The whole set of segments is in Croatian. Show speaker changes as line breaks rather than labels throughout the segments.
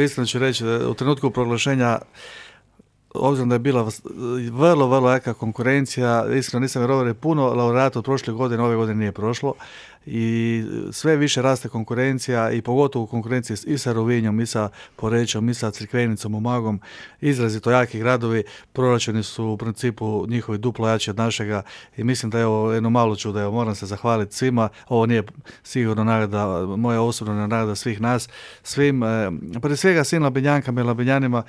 Iskreno ću reći, u trenutku proglašenja, obzirom da je bila vrlo, vrlo jaka konkurencija, iskreno nisam vjerovao da je puno laureata od prošle godine, ove godine nije prošlo i sve više raste konkurencija i pogotovo konkurencije i sa Rovinjom, i sa Porečom, i sa Crikvenicom, Umagom, izrazito jaki gradovi, proračuni su u principu njihovi duplo jači od našega i mislim da je ovo jedno malo čudo, evo moram se zahvaliti svima, ovo nije sigurno nagrada, moja osobna nagrada svih nas, svim, prije svega svim Labinjankama i Labinjanima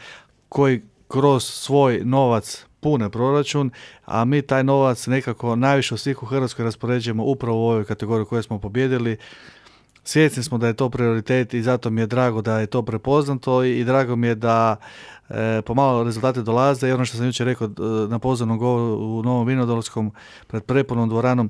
koji kroz svoj novac pune proračun, a mi taj novac nekako najviše od svih u Hrvatskoj raspoređujemo upravo u ovoj kategoriji koju smo pobijedili. Svjesni smo da je to prioritet i zato mi je drago da je to prepoznato i drago mi je da pomalo rezultate dolaze i ono što sam jučer rekao na pozornom govoru u Novom Vinodolskom pred prepunom dvoranom,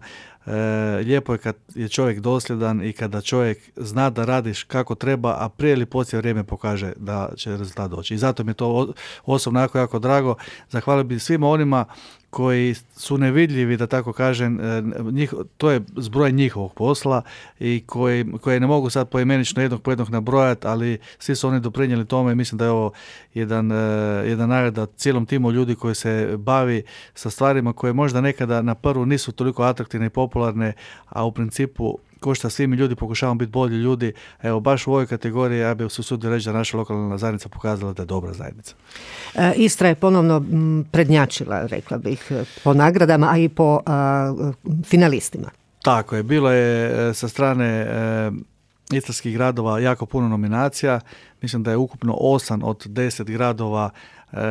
lijepo je kad je čovjek dosljedan i kada čovjek zna da radiš kako treba, a prije ili poslije vrijeme pokaže da će rezultat doći. I zato mi je to osobno jako drago. Zahvalio bih svima onima koji su nevidljivi, da tako kažem, to je zbroj njihovog posla i koje ne mogu sad poimenično jednog po jednog nabrojati, ali svi su oni doprinijeli tome i mislim da je ovo jedan nagrada cijelom timu ljudi koji se bavi sa stvarima koje možda nekada na prvu nisu toliko atraktivne i popularne, a u principu ko što svi mi ljudi pokušavamo biti bolji ljudi, evo baš u ovoj kategoriji ja bih se usudio reći da naša lokalna zajednica pokazala da je dobra zajednica.
Istra je ponovno prednjačila, rekla bih, po nagradama, a i po finalistima.
Tako je, bilo je sa strane istarskih gradova jako puno nominacija, mislim da je ukupno 8 od 10 gradova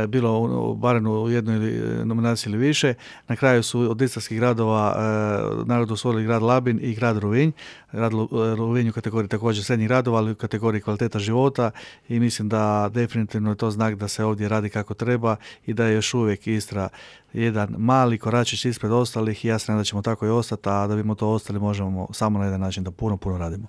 bilo barem u jednoj nominaciji ili više. Na kraju su od istarskih gradova nagradu osvojili grad Labin i grad Rovinj. Grad Rovinj u kategoriji također srednjih gradova, ali u kategoriji kvaliteta života i mislim da definitivno je to znak da se ovdje radi kako treba i da je još uvijek Istra jedan mali koračić ispred ostalih i ja se nadam da ćemo tako i ostati, a da bimo to ostali možemo samo na jedan način da puno radimo.